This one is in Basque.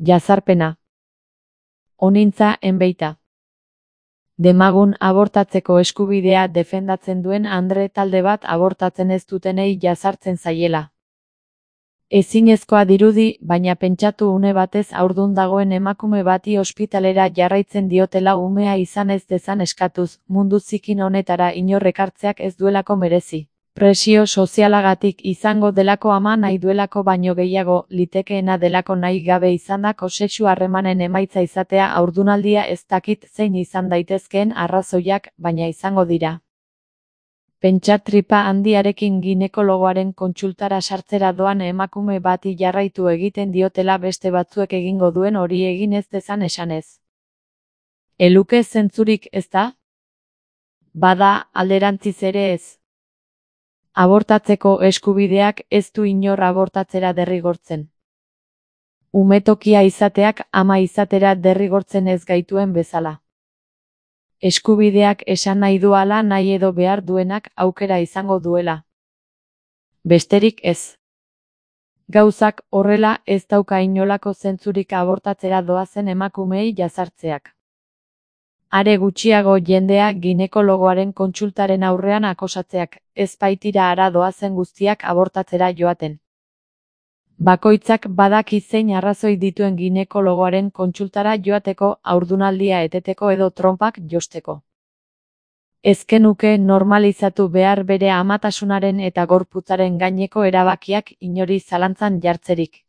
Jazarpena. Honintza enbeita. Demagun abortatzeko eskubidea defendatzen duen andre talde bat abortatzen ez dutenei jazartzen zaiela. Ezinezkoa dirudi, baina pentsatu une batez haurdun dagoen emakume bati ospitalera jarraitzen diotela umea izan ez dezan eskatuz, mundu zikin honetara inor ekartzeak ez duelako merezi. Presio sozialagatik izango delako ama nahi duelako baino gehiago, litekeena delako nahi gabe izandako sexu harremanen emaitza izatea haurdunaldia ez dakit zein izan daitezkeen arrazoiak, baina izango dira. Pentsa tripa handiarekin ginekologoaren kontsultara sartzera doan emakume bati jarraitu egiten diotela beste batzuek egingo duen hori egin ez dezan esanez. Eluke zentzurik, ezta? Bada, alderantziz ere ez. Abortatzeko eskubideak ez du inor abortatzera derrigortzen. Umetokia izateak ama izatera derrigortzen ez gaituen bezala. Eskubideak esan nahi duala nahi edo behar duenak aukera izango duela. Besterik ez. Gauzak horrela ez dauka inolako zentzurik abortatzera doazen emakumeei jazartzeak. Are gutxiago jendea ginekologoaren kontsultaren aurrean akosatzeak, ez baitira hara doazen guztiak abortatzera joaten. Bakoitzak badaki zein arrazoi dituen ginekologoaren kontsultara joateko, haurdunaldia eteteko edo tronpak josteko. Ezkenuke normalizatu behar bere amatasunaren eta gorputzaren gaineko erabakiak inori zalantzan jartzerik.